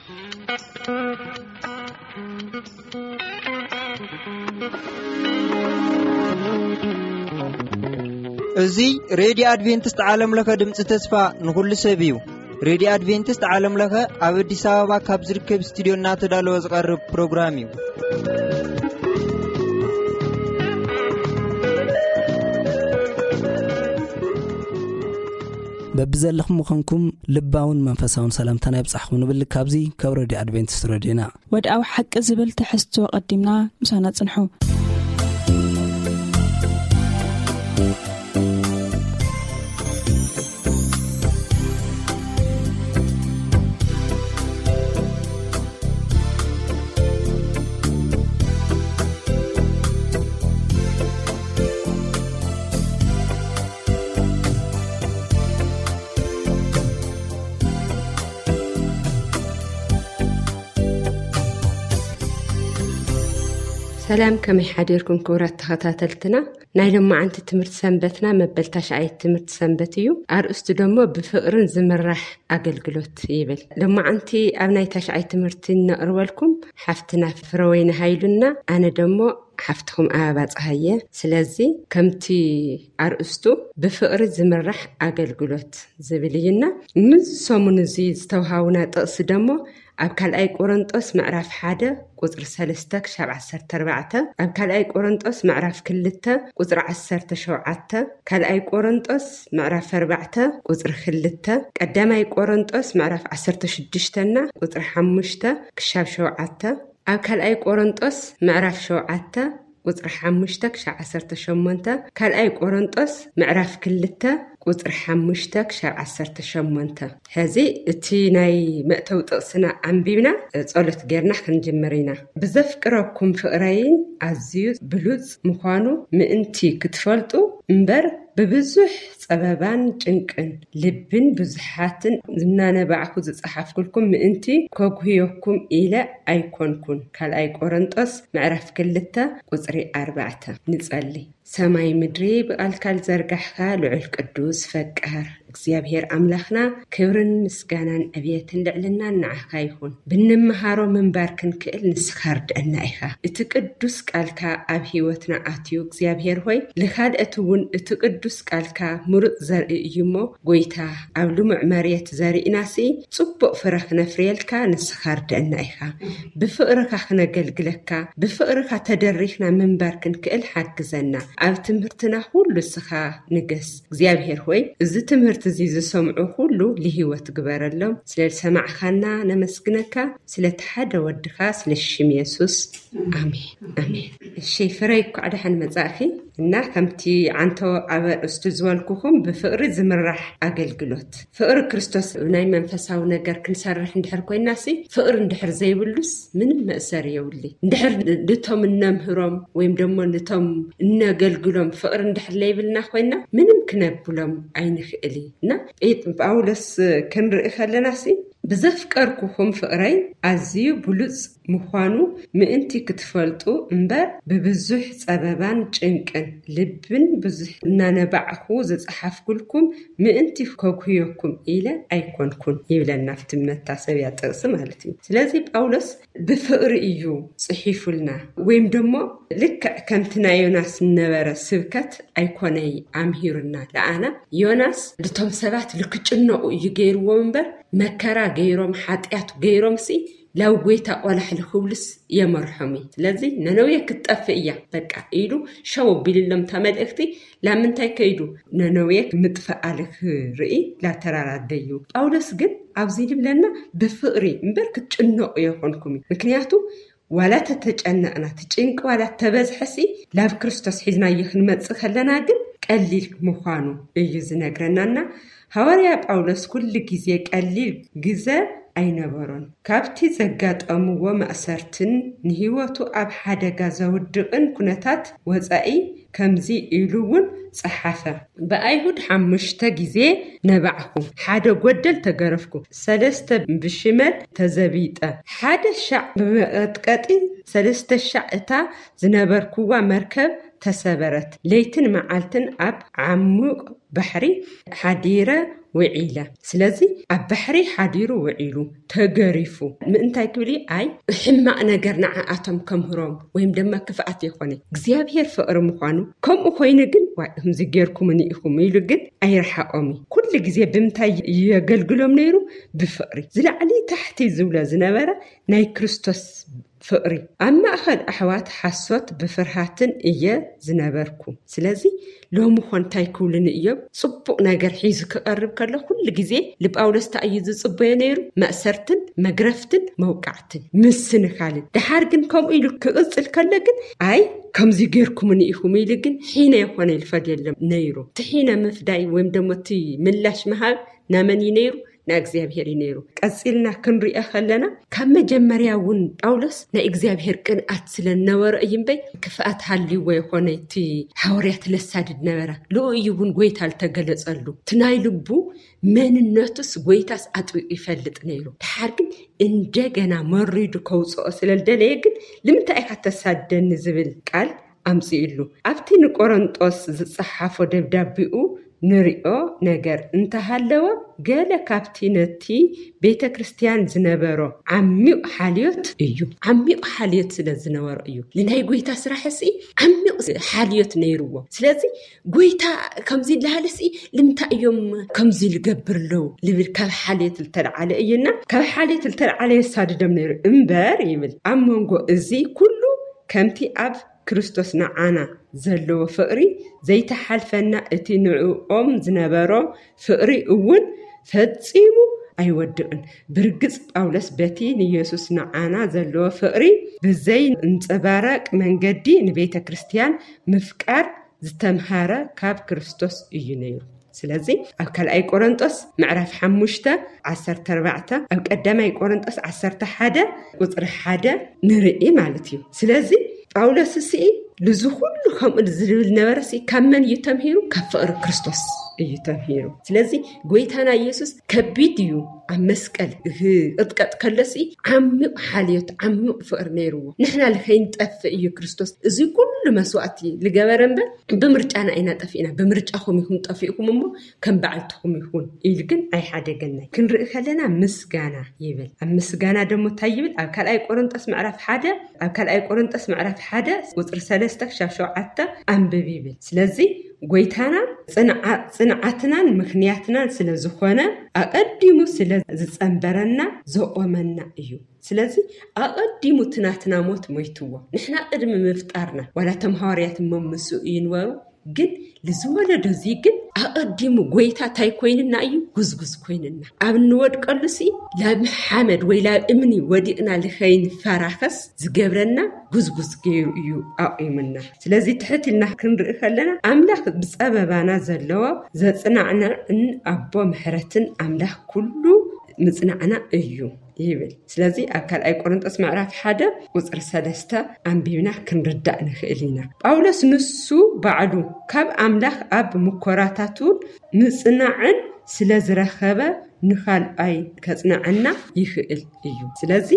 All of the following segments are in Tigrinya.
እዚ ሬድዮ ኣድቬንቲስት ዓለም ለኸ ድምፂ ተስፋ ንኹሉ ሰብ እዩ። ሬድዮ ኣድቬንቲስት ዓለም ለኸ ኣብ ኣዲስ ኣበባ ካብ ዝርከብ ስቱዲዮ እናተዳለወ ዝቐርብ ፕሮግራም እዩ። በብዘለኹም ምዃንኩም ልባውን መንፈሳውን ሰላምታና ይብጻሕኩም ንብል። ካብዚ ካብ ሬድዮ ኣድቬንቲስት ሬድዮና። ወድኣዊ ሓቂ ዝብል ትሕዝቶ ቀዲምና ምሳና ጽንሑ። ሰላም፣ ከመይ ሓዲርኩም ክቡራት ተኸታተልትና? ናይ ሎማዓንቲ ትምህርቲ ሰንበትና መበል ታሽዓይ ትምህርቲ ሰንበት እዩ። ኣርእስቱ ደሞ ብፍቕርን ዝምራሕ ኣገልግሎት ይብል። ሎማዓንቲ ኣብ ናይ ታሽዓይ ትምህርቲ እነቕርበልኩም ሓፍትና ፍረወይኒ ሃይሉና፣ ኣነ ደሞ ሓፍትኹም ኣበባ ጸሃየ። ስለዚ ከምቲ ኣርእስቱ ብፍቕሪ ዝምራሕ ኣገልግሎት ዝብል እዩና፣ ንዚ ሰሙን እዚ ዝተውሃቡና ጥቕሲ ደሞ ኣብ ካልኣይ ቆሮንጦስ ምዕራፍ ሓደ ቁጽሪ ሰለስተ ክሻብ ዓሰርተ ኣርባዕተ፣ ኣብ ካልኣይ ቆሮንጦስ ምዕራፍ ክልተ ቁጽሪ ዓሰርተ ሸውዓተ፣ ካልኣይ ቆሮንጦስ ምዕራፍ ኣርባዕተ ቁጽሪ ክልተ፣ ቀዳማይ ቆሮንጦስ ምዕራፍ ዓሰርተ ሽዱሽተ ና ቁጽሪ ሓሙሽተ ክሻብ ሸውዓተ፣ ኣብ ካልኣይ ቆሮንጦስ ምዕራፍ ሸውዓተ ቁጽሪ ሓሙሽተ ክሻብ ዓሰርተ ሸሞንተ፣ ካልኣይ ቆሮንጦስ ምዕራፍ ክልተ ቁጽሪ ሓሙሽተ ክሻብ ዓሰርተ ሸሞንተ። ሕዚ እቲ ናይ መእተዊ ጥቕስና ኣንቢብና ጸሎት ጌርና ክንጅምር ኢና። ብዘፍቅረኩም ፍቕረይን ኣዝዩ ብሉጽ ምዃኑ ምእንቲ ክትፈልጡ እምበር ብብዙሕ ጸበባን ጭንቅን ልብን ብዙሓትን እናነባዕኩ ዝጸሓፍኩልኩም ምእንቲ ከጉህየኩም ኢለ ኣይኮንኩን። ካልኣይ ቆሮንጦስ ምዕራፍ ክልተ ቁጽሪ ኣርባዕተ። ንጸሊ። ሰማይ ምድሪ ብቓልካ ዝዘርጋሕካ ልዑል ቅዱስ ፈቃር እግዚኣብሔር ኣምላኽና፣ ክብርን ምስጋናን ዕብየትን ልዕልናን ንዓኻ ይኹን። ብንመሃሮ ምንባር ክንክእል ንስኻ ርድአና ኢኻ። እቲ ቅዱስ ቃልካ ኣብ ህይወትና ኣትዩ እግዚኣብሔር ሆይ፣ ንኻልኦት እውን እቲ ቅዱስ ቃልካ ምሩፅ ዘርኢ እዩ እሞ፣ ጎይታ፣ ኣብ ልሙዕ መሬት ዘሪእናሲ ጽቡቕ ፍረ ክነፍርየልካ ንስኻ ርድአና ኢኻ። ብፍቕርኻ ክነገልግለካ፣ ብፍቕርኻ ተደሪኽና ምንባር ክንክእል ሓግዘና። ኣብ ትምህርትና ኩሉ ንስኻ ንገስ። እግዚኣብሔር ሆይ፣ እዚ ትምህርቲ እዚ ዝሰምዑ ኩሉ ልህይወት ግበረሎም። ስለ ዝሰማዕኻና ነመስግነካ፣ ስለቲ ሓደ ወድኻ፣ ስለ ሽም የሱስ። ኣሜን፣ ኣሜን። እሺ፣ ፍረይ፣ እንኳዕ ደሓን መጻእኺ። እና ከምቲ ዓንቶ ኣብ ኣርእስቱ ዝበልኩኹም፣ ብፍቕሪ ዝምራሕ ኣገልግሎት። ፍቕሪ ክርስቶስ ናይ መንፈሳዊ ነገር ክንሰርሕ እንድሕር ኮይናሲ፣ ፍቕሪ እንድሕር ዘይብሉስ ምንም መእሰሪ የብሉይ። እንድሕር ንቶም እነምህሮም ወይም ደሞ ንቶም እነገልግሎም ፍቕሪ እንድሕር ለይብልና ኮይና፣ ምንም ክነብሎም ኣይንኽእል እዩ። እና ጴጥ-፣ ጳውሎስ ክንርኢ ከለናሲ፣ ብዘፍቀርኩኹም ፍቕረይ ኣዝዩ ብሉጽ ምዃኑ ምእንቲ ክትፈልጡ እምበር፣ ብብዙሕ ጸበባን ጭንቅን ልብን ብዙሕ እናነባዕኹ ዝጸሓፍኩልኩም ምእንቲ ከጉህየኩም ኢለ ኣይኮንኩን ይብለና፣ ኣብቲ መታሰብያ ጥቕሲ ማለት እዩ። ስለዚ ጳውሎስ ብፍቕሪ እዩ ጽሒፉልና፣ ወይም ደሞ ልክዕ ከምቲ ናይ ዮናስ ዝነበረ ስብከት ኣይኮነይ ኣምሂሩና። ለኣና ዮናስ ልቶም ሰባት ልክጭነቑ እዩ ገይርዎም እምበር፣ መከራ ገይሮም፣ ሓጢኣት ገይሮምሲ ላብ ጎይታ ቆላሕ ልክብሉስ የመርሖም እዩ። ስለዚ ነነዌ ክትጠፍእ እያ በቃ ኢሉ ሸው ኣቢልሎም እታ መልእኽቲ። ላምንታይ ከይዱ? ነነዌ ምጥፍኣ ልክርኢ ላተራራደዩ። ጳውሎስ ግን ኣብዚ ልብለና ብፍቕሪ እምበር ክትጭነቑ የኾንኩም እዩ። ምክንያቱ ዋላ ተተጨነቕና፣ እቲ ጭንቂ ዋላ ተበዝሐሲ፣ ላብ ክርስቶስ ሒዝናዮ ክንመጽእ ከለና ግን ቀሊል ምዃኑ እዩ ዝነግረናና። ሃዋርያ ጳውሎስ ኩሉ ግዜ ቀሊል ግዘ ኣይነበሮን። ካብቲ ዘጋጠምዎ ማእሰርትን ንህይወቱ ኣብ ሓደጋ ዘውድቕን ኩነታት ወጻኢ ከምዚ ኢሉ እውን ጸሓፈ። ብኣይሁድ ሓሙሽተ ግዜ ነባዕኩ፣ ሓደ ጎደል ተገረፍኩ፣ ሰለስተ ብሽመል ተዘቢጠ፣ ሓደ ሻዕ ብመቐጥቀጢ፣ ሰለስተ ሻዕ እታ ዝነበርኩዋ መርከብ ተሰበረት። ለይትን መዓልትን ኣብ ዓሙቕ ባሕሪ ሓዲረ ውዒለ። ስለዚ ኣብ ባሕሪ ሓዲሩ ውዒሉ ተገሪፉ ምእንታይ ክብል ኣይ ሕማቕ ነገር ንዓኣቶም ከምህሮም ወይም ድማ ክፍኣት የኾነ እግዚኣብሔር ፍቕሪ ምዃኑ። ከምኡ ኮይኑ ግን ዋይ ከምዚ ጌርኩምኒ ኢኹም ኢሉ ግን ኣይረሓቖም እዩ። ኩሉ ግዜ ብምንታይ የገልግሎም ነይሩ? ብፍቕሪ። ዝላዕሊ ታሕቲ ዝብሎ ዝነበረ ናይ ክርስቶስ ፍቕሪ። ኣብ ማእኸል ኣሕዋት ሓሶት ብፍርሃትን እየ ዝነበርኩ። ስለዚ ሎሚ ኾን እንታይ ክብሉኒ እዮም? ጽቡቕ ነገር ሒዙ ክቐርብ ከሎ ኩሉ ግዜ ንጳውሎስ እንታይ እዩ ዝጽበዮ ነይሩ? መእሰርትን መግረፍትን መውቃዕትን ምስንኻልን። ደሓር ግን ከምኡ ኢሉ ክቕጽል ከሎ ግን ኣይ ከምዚ ጌርኩምኒ ኢኹም ኢሉ ግን ሒነ የኾነ ኢሉ ፈድየሎም ነይሩ። እቲ ሒነ ምፍዳይ ወይም ደሞ እቲ ምላሽ ምሃብ ናመን እዩ ነይሩ? ንእግዚኣብሔር እዩ ነይሩ። ቀጺልና ክንሪኦ ከለና ካብ መጀመርያ እውን ጳውሎስ ናይ እግዚኣብሔር ቅንኣት ስለ ዝነበሮ እዩ እምበይ ክፍኣት ሃልይዎ ይኾነ እቲ ሓዋርያት ለሳድድ ነበረ። ልኡ እዩ እውን ጎይታ ልተገለጸሉ እቲ ናይ ልቡ መንነቱስ ጎይታስ ኣጥቢቑ ይፈልጥ ነይሩ። ድሓር ግን እንደገና መሪዱ ከውፅኦ ስለ ዝደለየ ግን ንምንታይ ኢኻ ተሳደኒ ዝብል ቃል ኣምፂእሉ ኣብቲ ንቆሮንጦስ ዝፀሓፎ ደብዳቢኡ ንሪኦ ነገር እንተሃለወ ገለ ካብቲ ነቲ ቤተ ክርስቲያን ዝነበሮ ዓሚቕ ሓልዮት እዩ። ዓሚቕ ሓልዮት ስለ ዝነበሮ እዩ። ንናይ ጎይታ ስራሕ ሲ ዓሚቕ ሓልዮት ነይርዎ። ስለዚ ጎይታ ከምዚ ይልሃልሲ ንምንታይ እዮም ከምዚ ልገብር ኣለዉ ልብል ካብ ሓልየት ልተልዓለ እዩና ካብ ሓልየት ልተልዓለ የሳድዶም ነይሩ እምበር ይብል ኣብ መንጎ እዚ ኩሉ ከምቲ ኣብ ክርስቶስ ንዓና ዘለዎ ፍቕሪ ዘይተሓልፈና እቲ ንዕኦም ዝነበሮ ፍቕሪ እውን ፈጺሙ ኣይወድቕን። ብርግጽ ጳውሎስ በቲ ንየሱስ ንዓና ዘለዎ ፍቕሪ ብዘይ እንጸባረቅ መንገዲ ንቤተ ክርስቲያን ምፍቃር ዝተምሃረ ካብ ክርስቶስ እዩ ነይሩ። ስለዚ ኣብ ካልኣይ ቆሮንጦስ ምዕራፍ ሓሙሽተ ዓሰርተ ኣርባዕተ ኣብ ቀዳማይ ቆሮንጦስ ዓሰርተ ሓደ ቁፅሪ ሓደ ንርኢ ማለት እዩ። ስለዚ ጳውሎስ ስኢ ልዚ ኩሉ ከምኡ ዝብል ነበረ ሲ ካብ መን እዩ ተምሂሩ? ካብ ፍቕሪ ክርስቶስ እዩ ተምሂሩ። ስለዚ ጎይታና ኢየሱስ ከቢድ እዩ ኣብ መስቀል ክቕጥቀጥ ከለሲ ዓሚቕ ሓልዮት ዓሚቕ ፍቕሪ ነይርዎ። ንሕና ልኸይንጠፍእ እዩ ክርስቶስ እዚ ኩሉ መስዋእቲ ልገበረ እምበር ብምርጫና ኢና ጠፊእና። ብምርጫኹም ኢኹም ጠፊእኩም እሞ ከም በዓልትኹም ይኹን ኢሉ ግን ኣይሓደገናይ። ክንርኢ ከለና ምስጋና ይብል። ኣብ ምስጋና ደሞ እንታይ ይብል? ኣብ ካልኣይ ቆሮንጦስ ምዕራፍ ሓደ ኣብ ካልኣይ ቆሮንጦስ ምዕራፍ ሓደ ቁፅሪ ሰለስተ ክሻብ ሸውዓተ ኣንብብ ይብል። ስለዚ ጎይታና ፅንዓትናን ምኽንያትናን ስለ ዝኾነ ኣቐዲሙ ስለ ዝፀንበረና ዘቆመና እዩ። ስለዚ ኣቐዲሙ ትናትና ሞት ሞይትዎ ንሕና ቅድሚ ምፍጣርና ዋላ ቶም ሃዋርያት እሞ ምስኡ ይንበሩ ግን ልዝወለዶ እዚ ግን ኣቐዲሙ ጎይታ እንታይ ኮይንና እዩ? ጉዝጉዝ ኮይንና ኣብ እንወድቀሉ ሲ ላብ ሓመድ ወይ ላብ እምኒ ወዲቕና ልኸይንፈራኸስ ዝገብረና ጉዝጉዝ ገይሩ እዩ ኣቑምና። ስለዚ ትሕት ኢልና ክንርኢ ከለና ኣምላኽ ብፀበባና ዘለዎ ዘፅናዕንዕን ኣቦ ምሕረትን ኣምላኽ ኩሉ ምፅናዕና እዩ ይብል። ስለዚ ኣብ ካልኣይ ቆሮንጦስ ምዕራፍ ሓደ ቁፅሪ ሰለስተ ኣንቢብና ክንርዳእ ንኽእል ኢና። ጳውሎስ ንሱ ባዕሉ ካብ ኣምላኽ ኣብ ምኮራታቱ ምፅናዕን ስለ ዝረኸበ ንኻልኣይ ከፅንዐና ይኽእል እዩ። ስለዚ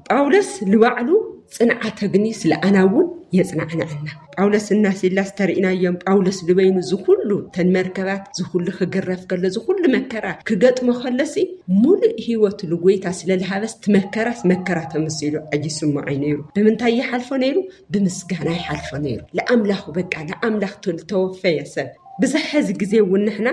ጳውሎስ ንባዕሉ ፅንዓተ ግኒ ስለ ኣና እውን የፅናዕንዐና። ጳውሎስ እና ሲላስ ተርእናዮም ጳውሎስ ዝበይኑ ዝኩሉ ተን መርከባት ዝኩሉ ክግረፍ ከሎ ዝኩሉ መከራ ክገጥሞ ከለሲ ሙሉእ ህይወቱ ንጎይታ ስለ ዝሃበስ ትመከራስ መከራ ተመሲሉ ኣይስምዖይ ነይሩ። ብምንታይ ይሓልፎ ነይሩ? ብምስጋና ይሓልፎ ነይሩ። ለኣምላኹ በቃ ለኣምላኽ ተወፈየ ሰብ ብዝሐዚ ግዜ እውን ንሕና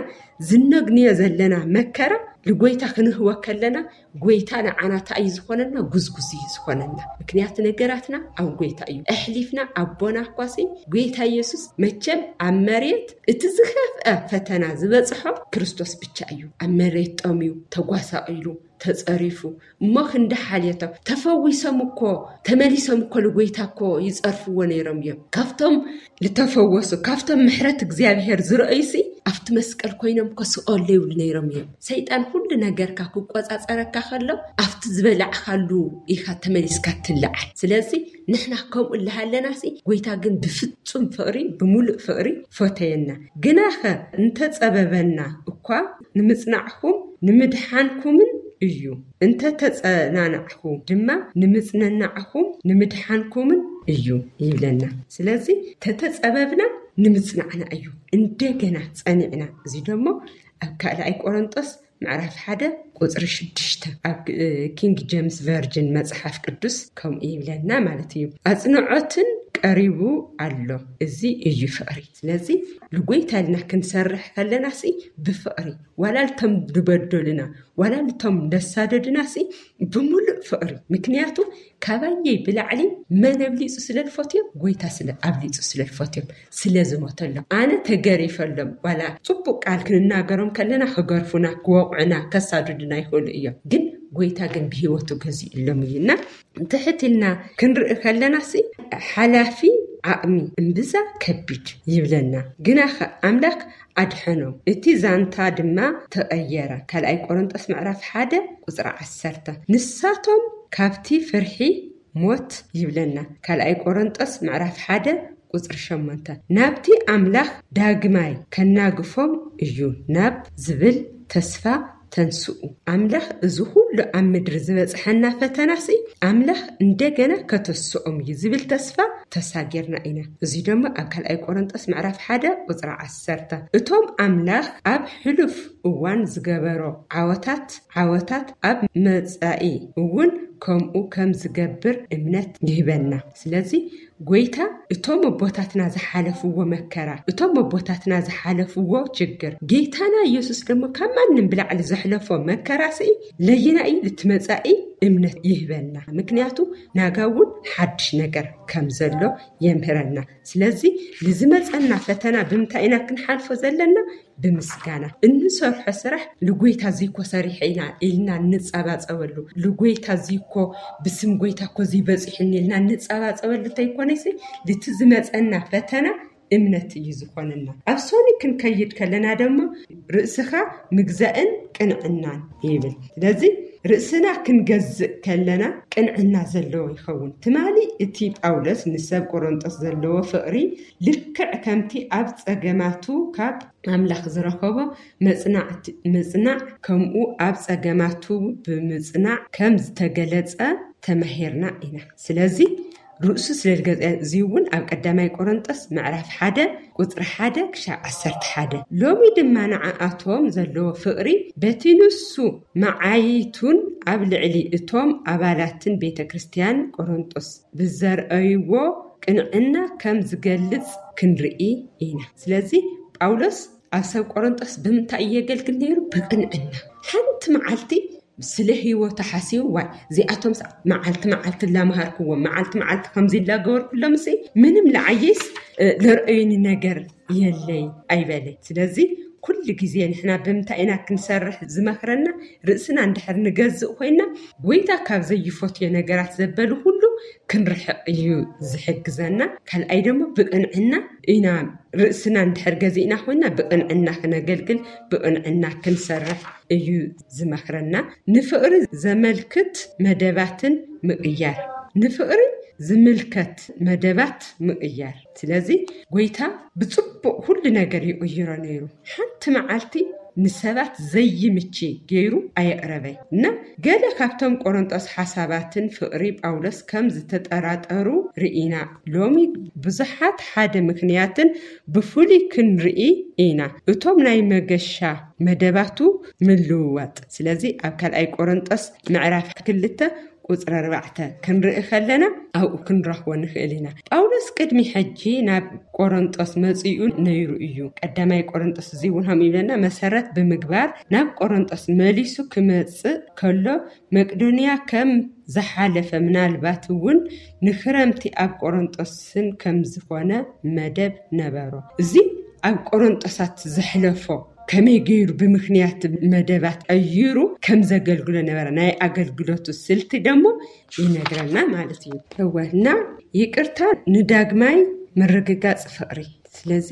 ዝነግንዮ ዘለና መከራ ንጎይታ ክንህወ ከለና ጎይታ ንዓና እንታይ እዩ ዝኾነና? ጉዝጉዝ እዩ ዝኾነና። ምክንያቱ ነገራትና ኣብ ጎይታ እዩ። ኣሕሊፍና ኣቦና እኳሲ ጎይታ ኢየሱስ መቸም ኣብ መሬት እቲ ዝኸፍአ ፈተና ዝበፅሖ ክርስቶስ ብቻ እዩ። ኣብ መሬት ጠምዩ፣ ተጓሳቒሉ፣ ተፀሪፉ እሞ ክንዲ ሓልየቶም ተፈዊሶም እኮ ተመሊሶም እኮ ንጎይታ እኮ ይፀርፍዎ ነይሮም እዮም። ካብቶም ዝተፈወሱ ካብቶም ምሕረት እግዚኣብሔር ዝረእዩሲ ኣብቲ መስቀል ኮይኖም ከስቀሉ ይብሉ ነይሮም እዮም። ሰይጣን ኩሉ ነገርካ ክቆፃፀረካ ከሎ ኣብቲ ዝበላዕካሉ ኢኻ ተመሊስካ ትልዓል። ስለዚ ንሕና ከምኡ ኣለሃለናሲ ጎይታ ግን ብፍፁም ፍቕሪ ብሙሉእ ፍቕሪ ፈተየና። ግናኸ እንተፀበበና እኳ ንምፅናዕኩም ንምድሓንኩምን እዩ። እንተተፀናናዕኹ ድማ ንምፅንናዕኹም ንምድሓንኩምን እዩ ይብለና። ስለዚ ተተጸበብና ንምጽናዕና እዩ እንደገና ጸኒዕና። እዚ ደሞ ኣብ ካልኣይ ቆሮንጦስ ምዕራፍ ሓደ ቁጽሪ ሽዱሽተ ኣብ ኪንግ ጀምስ ቨርጅን መጽሓፍ ቅዱስ ከምኡ ይብለና ማለት እዩ። ኣጽንዖትን ቀሪቡ ኣሎ፣ እዚ እዩ ፍቕሪ። ስለዚ ንጎይታ ኢልና ክንሰርሕ ከለና ሲ ብፍቕሪ፣ ዋላ ልቶም ዝበደሉና ዋላ ልቶም ዘሳደዱና ሲ ብምሉእ ፍቕሪ። ምክንያቱ ካባየይ ብላዕሊ መን ኣብሊፁ ስለ ዝፈትዮም? ጎይታ ስለ ኣብሊፁ ስለ ዝፈትዮም፣ ስለ ዝሞተሎም። ኣነ ተገሪፈሎም፣ ዋላ ፅቡቅ ቃል ክንናገሮም ከለና ክገርፉና፣ ክወቕዑና፣ ከሳድዱና ይኽእሉ እዮም። ግን ጎይታ ግን ብህይወቱ ገዚእሎም እዩ። እና ትሕት ኢልና ክንርኢ ከለና ሲ ሓላፊ ዓቕሚ እምብዛ ከቢድ ይብለና። ግና ኣምላክ ኣድሐኖም፣ እቲ ዛንታ ድማ ተቐየረ። ካልኣይ ቆሮንጦስ ምዕራፍ ሓደ ቁፅሪ ዓሰርተ። ንሳቶም ካብቲ ፍርሒ ሞት ይብለና። ካልኣይ ቆሮንጦስ ምዕራፍ ሓደ ቁፅሪ ሸሞንተ፣ ናብቲ ኣምላኽ ዳግማይ ከናግፎም እዩ ናብ ዝብል ተስፋ ተንስኡ። ኣምላኽ እዚ ኩሉ ኣብ ምድሪ ዝበፅሐና ፈተናሲ ኣምላኽ እንደገና ከተስኦም እዩ ዝብል ተስፋ ተሳጊርና ኢና። እዚ ድማ ኣብ ካልኣይ ቆሮንጦስ ምዕራፍ ሓደ ቁፅሪ ዓሰርተ። እቶም ኣምላኽ ኣብ ሕሉፍ እዋን ዝገበሮ ዓወታት ዓወታት ኣብ መጻኢ እውን ከምኡ ከም ዝገብር እምነት ይህበና። ስለዚ ጎይታ እቶም ኣቦታትና ዝሓለፍዎ መከራ፣ እቶም ኣቦታትና ዝሓለፍዎ ችግር፣ ጌታና ኢየሱስ ደሞ ካብ ማንም ብላዕሊ ዘሕለፎ መከራ ስኢ ለይና እዩ ልትመጻኢ እምነት ይህበና። ምክንያቱ ናጋ እውን ሓድሽ ነገር ከም ዘሎ የምህረና። ስለዚ ንዝመጸና ፈተና ብምንታይ ኢና ክንሓልፎ ዘለና? ብምስጋና። እንሰርሖ ስራሕ ልጎይታ ዝይኮ ሰሪሐ ኢና ኢልና እንጸባጸበሉ፣ ልጎይታ ዝይኮ ብስም ጎይታ ኮ ዘይበጺሑኒ ኢልና እንጸባጸበሉ እንተይኮነሲ ልቲ ዝመጸና ፈተና እምነት እዩ ዝኾነና። ኣብ ሶኒ ክንከይድ ከለና ደሞ ርእስኻ ምግዛእን ቅንዕናን ይብል። ስለዚ ርእስና ክንገዝእ ከለና ቅንዕና ዘለዎ ይኸውን። ትማሊ እቲ ጳውሎስ ንሰብ ቆሮንጦስ ዘለዎ ፍቕሪ ልክዕ ከምቲ ኣብ ጸገማቱ ካብ ኣምላኽ ዝረኸቦ መጽናዕ ከምኡ ኣብ ጸገማቱ ብምጽናዕ ከም ዝተገለጸ ተማሂርና ኢና። ስለዚ ርእሱ ስለ ዝገዘ እዚ እውን ኣብ ቀዳማይ ቆሮንጦስ ምዕራፍ ሓደ ቁጽሪ ሓደ ክሻብ ዓሰርተ ሓደ። ሎሚ ድማ ንዓኣቶም ዘለዎ ፍቕሪ በቲ ንሱ መዓይቱን ኣብ ልዕሊ እቶም ኣባላትን ቤተ ክርስቲያን ቆሮንጦስ ብዘርእይዎ ቅንዕና ከም ዝገልጽ ክንርኢ ኢና። ስለዚ ጳውሎስ ኣብ ሰብ ቆሮንጦስ ብምንታይ እየገልግል ነይሩ? ብቅንዕና። ሓንቲ መዓልቲ ስለ ህይወቱ ሓሲቡ፣ ዋይ እዚኣቶም መዓልቲ መዓልቲ ላመሃርክዎም፣ መዓልቲ መዓልቲ ከምዚ ላገበርኩሎም ሲ ምንም ለዓየስ ለርእዩኒ ነገር የለይ ኣይበለ። ስለዚ ኩሉ ግዜ ንሕና ብምንታይ ኢና ክንሰርሕ ዝመኽረና? ርእስና እንድሕር ንገዝእ ኮይና ጎይታ ካብ ዘይፈትዮ ነገራት ዘበሉ ኩሉ ክንርሕቕ እዩ ዝሕግዘና። ካልኣይ ደሞ ብቅንዕና ኢና ርእስና እንድሕር ገዚእና ኮይና ብቅንዕና ክነገልግል ብቅንዕና ክንሰርሕ እዩ ዝመኽረና። ንፍቕሪ ዘመልክት መደባትን ምቕያር፣ ንፍቕሪ ዝምልከት መደባት ምቕያር። ስለዚ ጎይታ ብጽቡቕ ኩሉ ነገር ይቕይሮ ነይሩ። ሓንቲ መዓልቲ ንሰባት ዘይምቺ ገይሩ ኣየቕረበይ እና ገለ ካብቶም ቆሮንጦስ ሓሳባትን ፍቕሪ ጳውሎስ ከም ዝተጠራጠሩ ርኢና። ሎሚ ብዙሓት ሓደ ምክንያትን ብፍሉይ ክንርኢ ኢና። እቶም ናይ መገሻ መደባቱ ምልውዋጥ። ስለዚ ኣብ ካልኣይ ቆሮንጦስ ምዕራፍ ክልተ ቁፅሪ ኣርባዕተ ክንርኢ ከለና ኣብኡ ክንረኽቦ ንኽእል ኢና። ጳውሎስ ቅድሚ ሕጂ ናብ ቆሮንጦስ መፂኡ ነይሩ እዩ። ቀዳማይ ቆሮንጦስ እዚ እውን ከም ይብለና መሰረት ብምግባር ናብ ቆሮንጦስ መሊሱ ክመፅእ ከሎ መቅዶንያ ከም ዝሓለፈ ምናልባት እውን ንክረምቲ ኣብ ቆሮንጦስን ከም ዝኾነ መደብ ነበሮ። እዚ ኣብ ቆሮንጦሳት ዘሕለፎ ከመይ ገይሩ ብምክንያት መደባት ቀይሩ ከም ዘገልግሎ ነበረ። ናይ ኣገልግሎቱ ስልቲ ደሞ ይነግረና ማለት እዩ። እወ እና ይቅርታ ንዳግማይ ምርግጋጽ ፍቕሪ። ስለዚ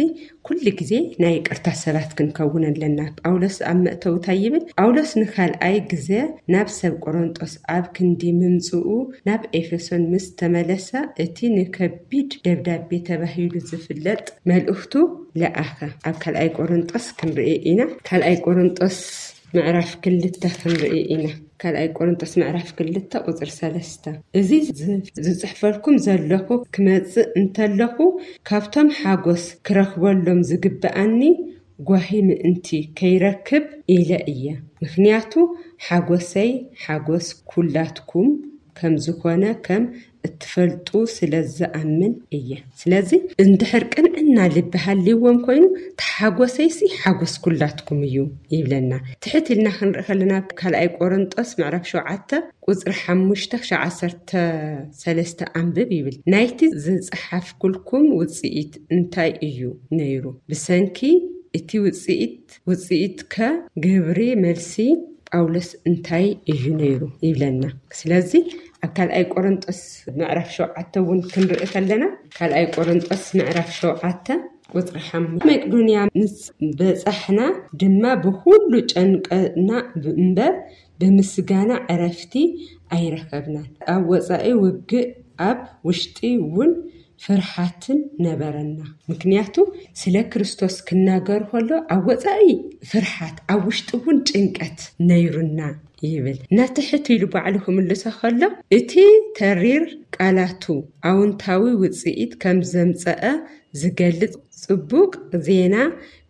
ኩሉ ግዜ ናይ ይቅርታ ሰባት ክንከውን ኣለና። ጳውሎስ ኣብ መእተውታ ይብል፣ ጳውሎስ ንካልኣይ ግዜ ናብ ሰብ ቆሮንጦስ ኣብ ክንዲ ምምጽኡ ናብ ኤፌሶን ምስ ተመለሰ እቲ ንከቢድ ደብዳቤ ተባሂሉ ዝፍለጥ መልእኽቱ ለኣኸ። ኣብ ካልኣይ ቆሮንጦስ ክንርኢ ኢና። ካልኣይ ቆሮንጦስ ምዕራፍ ክልተ ክንርኢ ኢና። ካልኣይ ቆሮንጦስ ምዕራፍ ክልተ ቁፅሪ ሰለስተ፣ እዚ ዝ- ዝፅሕፈልኩም ዘለኹ ክመፅእ እንተለኹ ካብቶም ሓጎስ ክረኽበሎም ዝግብኣኒ ጓሂ ምእንቲ ከይረክብ ኢለ እየ። ምክንያቱ ሓጎሰይ ሓጎስ ኩላትኩም ከም ዝኾነ ከም እትፈልጡ ስለ ዝኣምን እየ። ስለዚ እንድሕር ቅንዕና ልቢ ሃልይዎም ኮይኑ፣ ተሓጎሰይሲ ሓጎስ ኩላትኩም እዩ ይብለና። ትሕት ኢልና ክንርኢ ከለና ካልኣይ ቆሮንጦስ ምዕራፍ ሸውዓተ ቁፅሪ ሓሙሽተ ክሻዕ ዓሰርተ ሰለስተ ኣንብብ ይብል። ናይቲ ዝፀሓፍኩልኩም ውፅኢት እንታይ እዩ ነይሩ? ብሰንኪ እቲ ውፅኢት ውፅኢት ከ ግብሪ መልሲ ጳውሎስ እንታይ እዩ ነይሩ ይብለና። ስለዚ ኣብ ካልኣይ ቆሮንጦስ ምዕራፍ ሸውዓተ እውን ክንርኢ ከለና፣ ካልኣይ ቆሮንጦስ ምዕራፍ ሸውዓተ ቁፅሪ ሓሙሽተ፣ መቄዶንያ ምስ በፃሕና ድማ ብኩሉ ጨንቀና እምበር ብምስጋና ዕረፍቲ ኣይረኸብናን። ኣብ ወፃኢ ውግእ ኣብ ውሽጢ እውን ፍርሓትን ነበረና። ምክንያቱ ስለ ክርስቶስ ክናገር ከሎ ኣብ ወፃኢ ፍርሓት ኣብ ውሽጢ እውን ጭንቀት ነይሩና ይብል። ናትሕት ኢሉ ባዕሉ ክምልሶ ከሎ እቲ ተሪር ቃላቱ ኣውንታዊ ውፅኢት ከም ዘምፀአ ዝገልጽ ጽቡቕ ዜና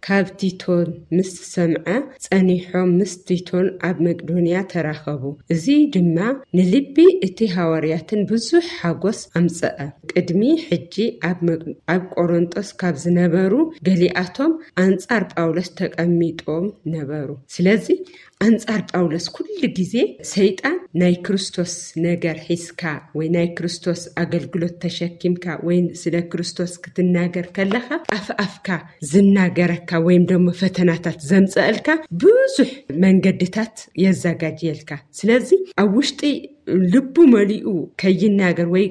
ካብ ቲቶን ምስ ሰምዐ፣ ጸኒሖም ምስ ቲቶን ኣብ መቄዶንያ ተራኸቡ። እዚ ድማ ንልቢ እቲ ሃዋርያትን ብዙሕ ሓጎስ ኣምጽአ። ቅድሚ ሕጂ ኣብ መ- ኣብ ቆሮንጦስ ካብ ዝነበሩ ገሊኣቶም ኣንጻር ጳውሎስ ተቐሚጦም ነበሩ። ስለዚ ኣንጻር ጳውሎስ ኩሉ ግዜ ሰይጣን ናይ ክርስቶስ ነገር ሒዝካ ወይ ናይ ክርስቶስ ኣገልግሎት ተሸኪምካ ወይ ስለ ክርስቶስ ክትናገር ከለኻ ኣፍ ኣፍካ ዝናገረካ ወይም ደሞ ፈተናታት ዘምጸእልካ ብዙሕ መንገድታት የዘጋጅየልካ። ስለዚ ኣብ ውሽጢ ልቡ መሊኡ ከይናገር ወይ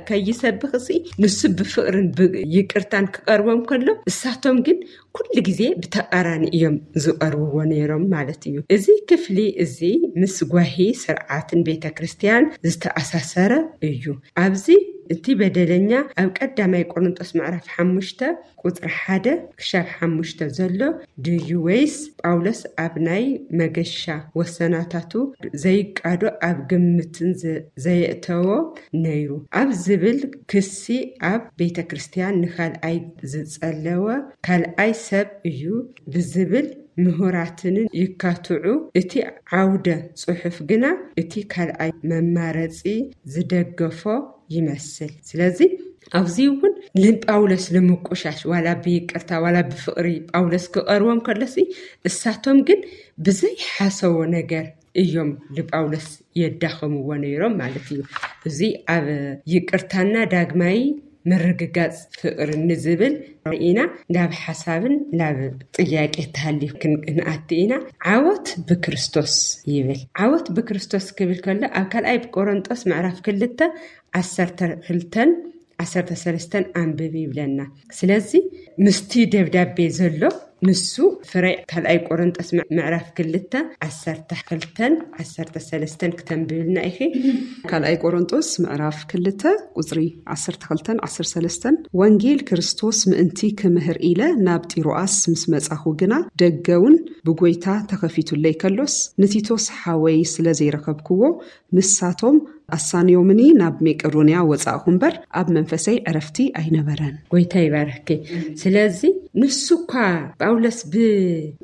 ከይሰብኽ ሲ ንሱ ብፍቕርን ይቅርታን ክቐርቦም ከሎ እሳቶም ግን ኩሉ ግዜ ብተቃራኒ እዮም ዝቐርብዎ ነይሮም ማለት እዩ። እዚ ክፍሊ እዚ ምስ ጓሂ ስርዓትን ቤተ ክርስቲያን ዝተኣሳሰረ እዩ። ኣብዚ እቲ በደለኛ ኣብ ቀዳማይ ቆሮንጦስ ምዕራፍ ሓሙሽተ ቁፅሪ ሓደ ክሻብ ሓሙሽተ ዘሎ ድዩ ወይስ ጳውሎስ ኣብ ናይ መገሻ ወሰናታቱ ዘይቃዶ ኣብ ግምትን ዘየእተዎ ነይሩ ኣብ ዝብል ክሲ ኣብ ቤተ ክርስቲያን ንካልኣይ ዝጸለወ ካልኣይ ሰብ እዩ ብዝብል ምሁራትንን ይካትዑ። እቲ ዓውደ ጽሑፍ ግና እቲ ካልኣይ መማረጺ ዝደገፎ ይመስል። ስለዚ ኣብዚ እውን ንጳውሎስ ንምቁሻሽ ዋላ ብይቅርታ ዋላ ብፍቕሪ ጳውሎስ ክቐርቦም ከለሲ እሳቶም ግን ብዘይሓሰቦ ነገር እዮም ንጳውሎስ የዳኸምዎ ነይሮም ማለት እዩ። እዚ ኣብ ይቅርታና ዳግማይ ምርግጋጽ ፍቕሪ ንዝብል ርኢና ናብ ሓሳብን ናብ ጥያቄ ተሃልዩ ክንኣቲ ኢና። ዓወት ብክርስቶስ ይብል። ዓወት ብክርስቶስ ክብል ከሎ ኣብ ካልኣይ ቆሮንጦስ ምዕራፍ ክልተ ዓሰርተ ክልተን ዓሰርተ ሰለስተን ኣንብብ ይብለና። ስለዚ ምስቲ ደብዳቤ ዘሎ ንሱ ፍረ ካልኣይ ቆሮንጦስ ምዕራፍ ክልተ ዓሰርተ ክልተን ዓሰርተ ሰለስተን ክተንብብልና ኢኺ። ካልኣይ ቆሮንጦስ ምዕራፍ ክልተ ቁፅሪ ዓሰርተ ክልተን ዓሰርተ ሰለስተን፣ ወንጌል ክርስቶስ ምእንቲ ክምህር ኢለ ናብ ጢሮኣስ ምስ መጻኹ ግና ደገውን ብጎይታ ተኸፊቱለይ ከሎስ ንቲቶስ ሓወይ ስለ ዘይረኸብክዎ ንሳቶም ኣሳንዮምኒ ናብ መቄዶንያ ወጻእኹ እምበር ኣብ መንፈሰይ ዕረፍቲ ኣይነበረን። ጎይታ ይባርኪ። ስለዚ ንሱ እኳ ጳውሎስ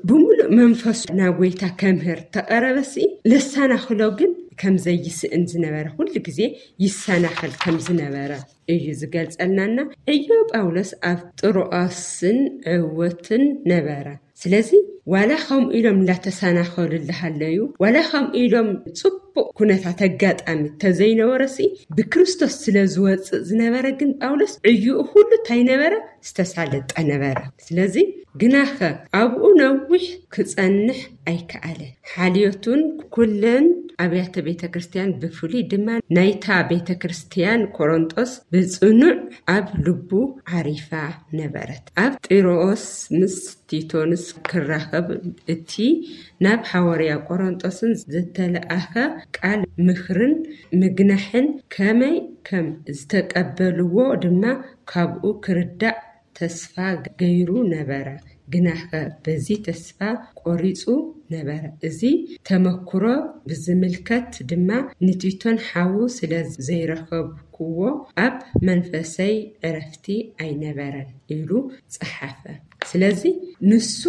ብምሉእ መንፈሱ ናብ ጎይታ ከምህር ተቐረበሲ ለሳናኽሎ ግን ከም ዘይስእን ዝነበረ ኩሉ ግዜ ይሰናኸል ከም ዝነበረ እዩ ዝገልጸልናና። ዕዮ ጳውሎስ ኣብ ጥሮኣስን ዕወትን ነበረ። ስለዚ ዋላ ከምኡ ኢሎም እንዳተሰናኸሉ እንዳሃለዩ ዋላ ከምኡ ኢሎም ፅቡቅ ኩነታት ኣጋጣሚ ተዘይነበረሲ ብክርስቶስ ስለ ዝወፅእ ዝነበረ ግን ጳውሎስ ዕዩኡ ኩሉ እንታይ ነበረ ዝተሳለጠ ነበረ። ስለዚ ግናኸ ኣብኡ ነዊሕ ክፀንሕ ኣይከኣለን። ሓልዮቱን ኩለን ኣብያተ ቤተ ክርስቲያን ብፍሉይ ድማ ናይታ ቤተ ክርስቲያን ቆሮንጦስ ብፅኑዕ ኣብ ልቡ ዓሪፋ ነበረት። ኣብ ጢሮኦስ ምስ ቲቶንስ ክራኸብ እቲ ናብ ሓዋርያ ቆሮንጦስን ዝተለኣኸ ቃል ምኽርን ምግናሕን ከመይ ከም ዝተቀበልዎ ድማ ካብኡ ክርዳእ ተስፋ ገይሩ ነበረ። ግናኸ በዚ ተስፋ ቆሪጹ ነበረ። እዚ ተመክሮ ብዝምልከት ድማ ንቲቶን ሓዉ ስለ ዘይረኸብኩዎ ኣብ መንፈሰይ ዕረፍቲ ኣይነበረን ኢሉ ጸሓፈ። ስለዚ ንሱ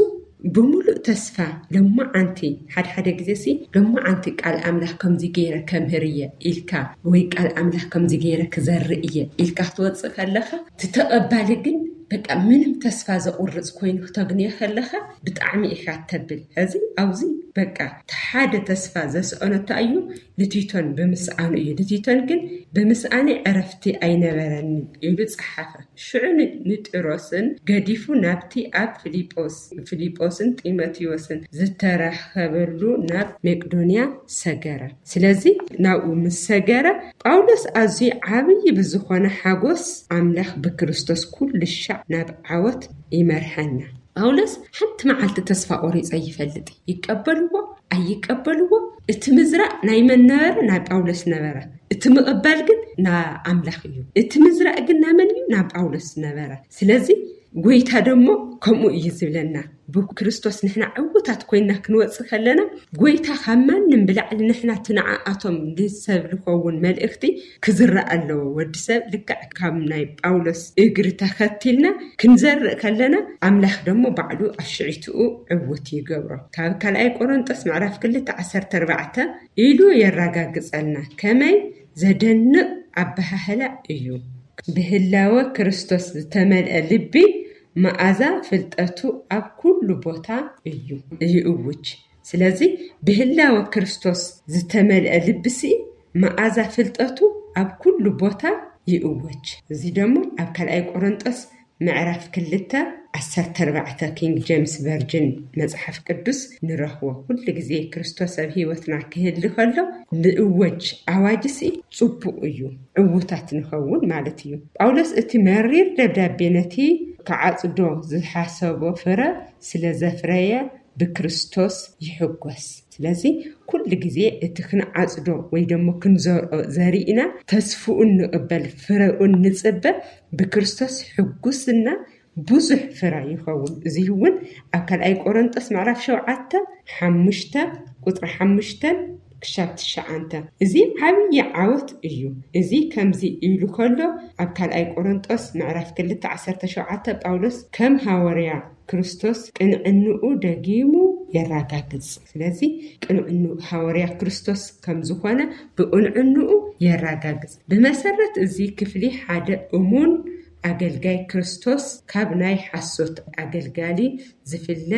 ብምሉእ ተስፋ፣ ሎማዓንቲ፣ ሓደ ሓደ ግዜ ሲ ሎማዓንቲ ቃል ኣምላኽ ከምዚ ገይረ ከምህር እየ ኢልካ፣ ወይ ቃል ኣምላኽ ከምዚ ገይረ ክዘርእ እየ ኢልካ ክትወፅእ ከለኻ፣ እቲ ተቐባሊ ግን በቃ ምንም ተስፋ ዘቑርፅ ኮይኑ ክተግንዮ ከለኻ፣ ብጣዕሚ ኢኻ ተብል። ሕዚ ኣብዚ በቃ እቲ ሓደ ተስፋ ዘስኣነቶ እዩ፣ ንቲቶን ብምስኣኑ እዩ። ንቲቶን ግን ብምስኣነይ ዕረፍቲ ኣይነበረንን ኢሉ ጸሓፈ። ሽዑ ን-፣ ንጢሮስን ገዲፉ ናብቲ ኣብ ፊልጶስ-፣ ፊልጶስን ጢሞቴዎስን ዝተረኸበሉ ናብ መቄዶንያ ሰገረ። ስለዚ ናብኡ ምስ ሰገረ፣ ጳውሎስ ኣዝዩ ዓብዪ ብዝኾነ ሓጎስ፣ ኣምላኽ ብክርስቶስ ኩሉ ሻዕ ናብ ዓወት ይመርሐና። ጳውሎስ ሓንቲ መዓልቲ ተስፋ ቆሪጸ ይፈልጥ። ይቀበልዎ ኣይቀበልዎ፣ እቲ ምዝራእ ናይ መን ነበረ? ናይ ጳውሎስ ነበረ። እቲ ምቕባል ግን ና ኣምላኽ እዩ። እቲ ምዝራእ ግን ና መን እዩ? ና ጳውሎስ ነበረ። ስለዚ ጎይታ ደሞ ከምኡ እዩ ዝብለና። ብክርስቶስ ንሕና ዕውታት ኮይና ክንወጽእ ከለና፣ ጎይታ ካብ ማንም ብላዕሊ ንሕና እቲ ንዓኣቶም ንሰብ ልኸውን መልእኽቲ ክዝረእ ኣለዎ። ወዲ ሰብ ልክዕ ካብ ናይ ጳውሎስ እግሪ ተኸቲልና ክንዘርእ ከለና፣ ኣምላኽ ደሞ ባዕሉ ኣሽዒትኡ ዕውት ይገብሮ። ካብ ካልኣይ ቆሮንጦስ ምዕራፍ ክልተ ዓሰርተ ኣርባዕተ ኢሉ የረጋግጸልና። ከመይ ዘደንቕ ኣበሃህላ እዩ! ብህላወ ክርስቶስ ዝተመልአ ልቢ መኣዛ ፍልጠቱ ኣብ ኩሉ ቦታ እዩ፣ ይእውጅ። ስለዚ ብህላወ ክርስቶስ ዝተመልአ ልብሲ መኣዛ ፍልጠቱ ኣብ ኩሉ ቦታ ይእወጅ። እዚ ደሞ ኣብ ካልኣይ ቆሮንጦስ ምዕራፍ ክልተ ዓሰርተ ኣርባዕተ ኪንግ ጄምስ ቨርጅን መጽሓፍ ቅዱስ ንረኽቦ። ኩሉ ግዜ ክርስቶስ ኣብ ህይወትና ክህሊ ከሎ ንእወጅ ኣዋጅ ሲ ጽቡቕ እዩ፣ ዕዉታት ንኸውን ማለት እዩ። ጳውሎስ እቲ መሪር ደብዳቤ ነቲ ክዓጽዶ ዝሓሰቦ ፍረ ስለ ዘፍረየ ብክርስቶስ ይሕጎስ። ስለዚ ኩሉ ግዜ እቲ ክንዓጽዶ ወይ ደሞ ክንዘርኦ ዘሪእና ተስፍኡን ንቕበል፣ ፍረኡን ንጽበ፣ ብክርስቶስ ሕጉስና ብዙሕ ፍረ ይኸውን። እዚ እውን ኣብ ካልኣይ ቆሮንጦስ ምዕራፍ ሸውዓተ ሓሙሽተ ቁጽሪ ሓሙሽተ ክሻብ ትሽዓተ። እዚ ዓብዪ ዓወት እዩ። እዚ ከምዚ ኢሉ ከሎ ኣብ ካልኣይ ቆሮንጦስ ምዕራፍ ክልተ ዓሰርተ ሸውዓተ ጳውሎስ ከም ሃዋርያ ክርስቶስ ቅንዕንኡ ደጊሙ የራጋግጽ። ስለዚ ቅንዕንኡ ሃዋርያ ክርስቶስ ከም ዝኾነ ብቅንዕንኡ የራጋግጽ። ብመሰረት እዚ ክፍሊ ሓደ እሙን ኣገልጋይ ክርስቶስ ካብ ናይ ሓሶት ኣገልጋሊ ዝፍለ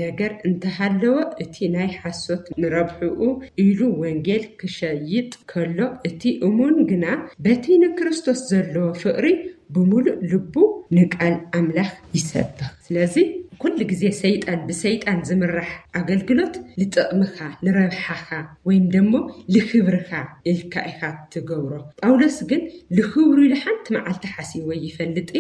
ነገር እንተሃለወ፣ እቲ ናይ ሓሶት ንረብሕኡ ኢሉ ወንጌል ክሸይጥ ከሎ፣ እቲ እሙን ግና በቲ ንክርስቶስ ዘለዎ ፍቕሪ ብምሉእ ልቡ ንቃል ኣምላኽ ይሰብኽ። ስለዚ ኩሉ ግዜ ሰይጣን ብሰይጣን ዝምራሕ ኣገልግሎት ንጥቕምኻ፣ ንረብሓኻ፣ ወይም ደሞ ልክብርኻ ኢልካ ኢኻ ትገብሮ። ጳውሎስ ግን ልክብሩ ኢሉ ሓንቲ መዓልቲ ሓሲቦ ይፈልጥ?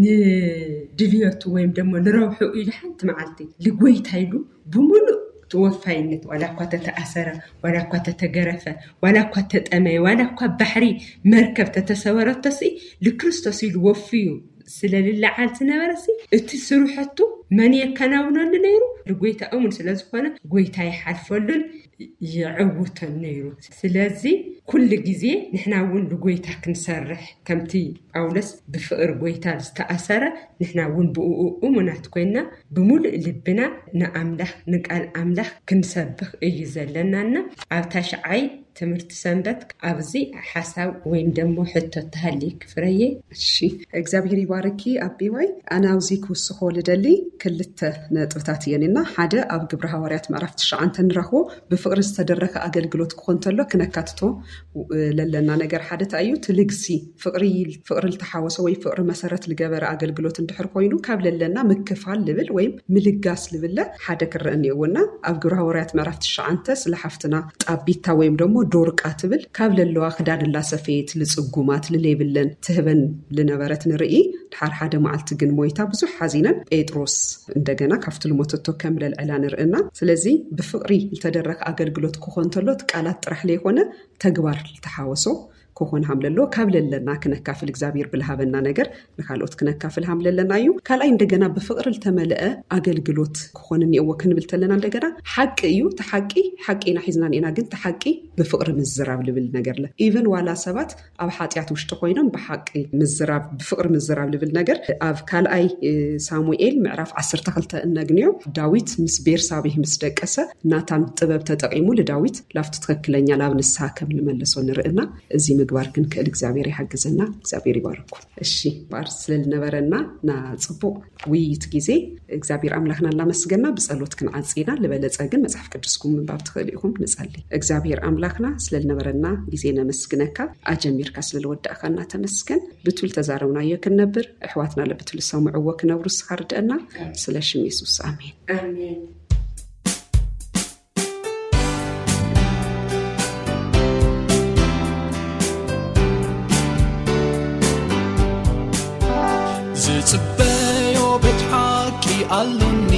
ንድልዮቱ ወይም ደሞ ንረብሕኡ ኢሉ ሓንቲ መዓልቲ ልጎይታ ኢሉ ብምሉእ ተወፋይነት፣ ዋላ እኳ ተተኣሰረ፣ ዋላ እኳ ተተገረፈ፣ ዋላ እኳ ተጠመየ፣ ዋላ እኳ ባሕሪ መርከብ ተተሰወረቶሲ ልክርስቶስ ኢሉ ወፍዩ ስለ ልለዓል ዝነበረሲ፣ እቲ ስርሐቱ መን የከናውነሉ ነይሩ? ልጎይታ እሙን ስለ ዝኾነ ጎይታ ይሓልፈሉን ይዕውተን ነይሩ። ስለዚ ኩሉ ግዜ ንሕና እውን ልጎይታ ክንሰርሕ፣ ከምቲ ጳውሎስ ብፍቕሪ ጎይታ ዝተኣሰረ፣ ንሕና እውን ብእኡ እሙናት ኮይና ብምሉእ ልብና ንኣምላኽ፣ ንቃል ኣምላኽ ክንሰብኽ እዩ ዘለናና። ኣብ ታሽዓይ ትምህርቲ ሰንበት ኣብዚ ሓሳብ ወይም ደሞ ሕቶ ተሃልይክ ፍረየ። እሺ፣ እግዚኣብሔር ይባርኪ ኣቢዋይ። ኣነ ኣብዚ ክውስኾ ልደሊ ክልተ ነጥብታት እየን እና፣ ሓደ ኣብ ግብረ ሃዋርያት ምዕራፍ ትሽዓተ ንረኽቦ ብፍቕሪ ዝተደረኸ ኣገልግሎት ክኾን ተሎ ክነካትቶ ለለና ነገር ሓደ እንታይ እዩ? እቲ ልግሲ ፍቕሪ፣ ፍቕሪ ልተሓወሶ ወይ ፍቕሪ መሰረት ልገበረ ኣገልግሎት እንድሕር ኮይኑ ካብ ለለና ምክፋል ልብል ወይም ምልጋስ ልብለ ሓደ ክረአ እኒኦዎ እና ኣብ ግብረ ሃዋርያት ምዕራፍ ትሽዓተ ስለ ሓፍትና ጣቢታ ወይም ደሞ ዶርቃ ትብል ካብ ለለዋ ክዳን ላሰፈየት ልጽጉማት ልሌብለን ትህበን ልነበረት ንርኢ። ድሓር ሓደ መዓልቲ ግን ሞይታ ብዙሕ ሓዚነን ጴጥሮስ እንደገና ካብቲ ልሞተቶ ከም ለልዕላ ንርእና። ስለዚ ብፍቕሪ ልተደረኸ ኣገልግሎት ክኾን ተሎ እቲ ቃላት ጥራሕ ለይኮነ ተግባር ልተሓወሶ ክኾን ሃምለሎ። ካብ ለለና ክነካፍል እግዚኣብሔር ብልሃበና ነገር ንካልኦት ክነካፍል ሃምለለና እዩ። ካልኣይ እንደገና ብፍቕሪ ዝተመልአ ኣገልግሎት ክኾን እኒኦዎ ክንብል ተለና እንደገና ሓቂ እዩ። እቲ ሓቂ ሓቂ ኢና ሒዝና እኒና፣ ግን እቲ ሓቂ ብፍቕሪ ምዝራብ ልብል ነገር ለ ኢቨን ዋላ ሰባት ኣብ ሓጢኣት ውሽጢ ኮይኖም ብሓቂ ምዝራብ፣ ብፍቕሪ ምዝራብ ልብል ነገር ኣብ ካልኣይ ሳሙኤል ምዕራፍ ዓሰርተ ክልተ እነግንዮ። ዳዊት ምስ ቤርሳቤህ ምስ ደቀሰ ናታን ጥበብ ተጠቂሙ ልዳዊት ላብቲ ትክክለኛ ላብ ንስሓ ከም ልመለሶ ንርእና። እዚ ምግባር ክንክእል እግዚኣብሔር ይሓግዘና። እግዚኣብሔር ይባርኩም። እሺ፣ ባር ስለልነበረና ና ጽቡቕ ውይይት ግዜ እግዚኣብሔር ኣምላኽና እናመስገና ብጸሎት ክንዓጽ ኢና። ልበለጸ ግን መጽሓፍ ቅዱስኩም ምንባብ ትኽእሉ ኢኹም። ንጸሊ። እግዚኣብሔር ኣምላኽና ስለልነበረና ግዜ ነመስግነካ። ኣጀሚርካ ስለልወዳእካና ተመስገን። ብቱል ተዛረብናዮ ክንነብር፣ ኣሕዋትና ለብቱል ዝሰምዕዎ ክነብሩ ንስኻ ርድአና። ስለ ሽም የሱስ፣ ኣሜን። ኣሜን። ዝጽበዮ ቤት ሓቂ ኣሎኒ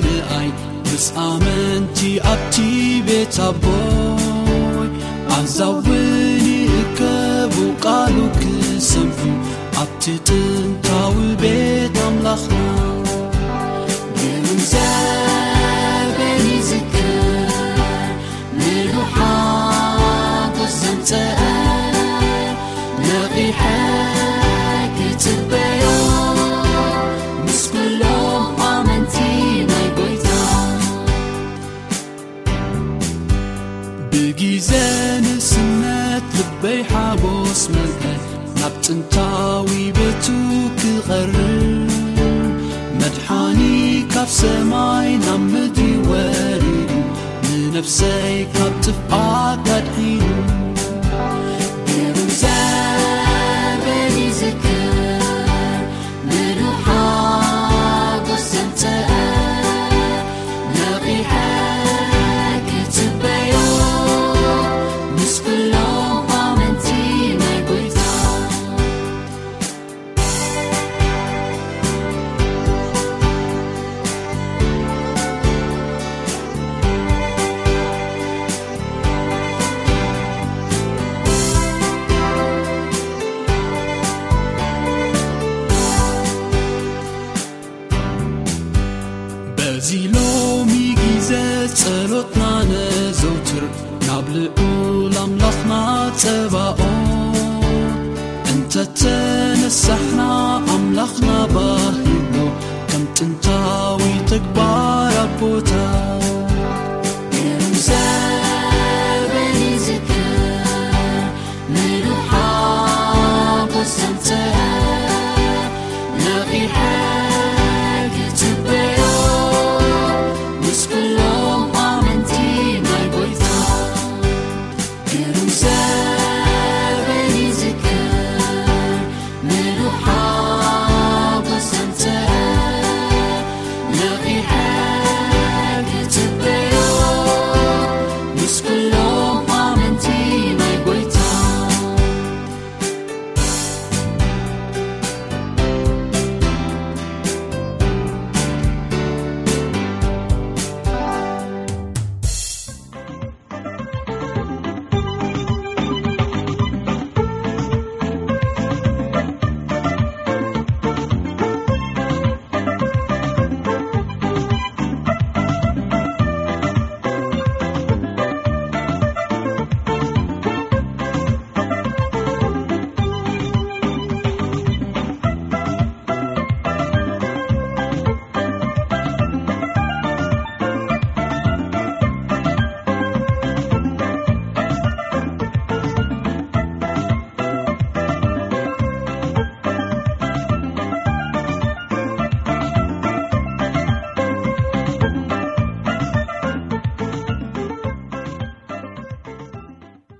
ንኣይ፣ ምስ ኣመንቲ ኣብቲ ቤት ኣቦይ። ኣዛውኒ እከቡ ቃሉ ክሰምዑ ኣብቲ ጥንታዊ ቤት ኣምላኽና። ግሩም ዘበን ይዝክር፣ ምሉእ ሓጎስ ዘምጸአ፣ ነቒሐ ክጽበዮ ምስ ኩሎም ኣመንቲ ናይ ጎይታ። ብጊዜ ንስነት ልበይ ሓጎስ መልአ፣ ናብ ጥንታዊ ቤቱ ክቐርብ። መድሓኒ ካብ ሰማይ ናብ ምድሪ ወሪዱ፣ ንነፍሰይ ካብ ጥፍኣት ኣድሒኑ። ግሩም ዘበን ይዝክር፣ ምሉእ ሓጎስ ዘምጸአ፣ ነቒሐ ክጽበዮ ምስ ኩሎም ኣመንቲ ናይ ጎይታ። በዚ ሎሚ ግዜ ጸሎትና ነዘውትር ናብ ልዑል ኣምላኽና ጸባኦት። እንተተነሳሕና ኣምላኽና ባህ ይብሎ፣ ከም ጥንታዊ ተግባር ኣቦታት።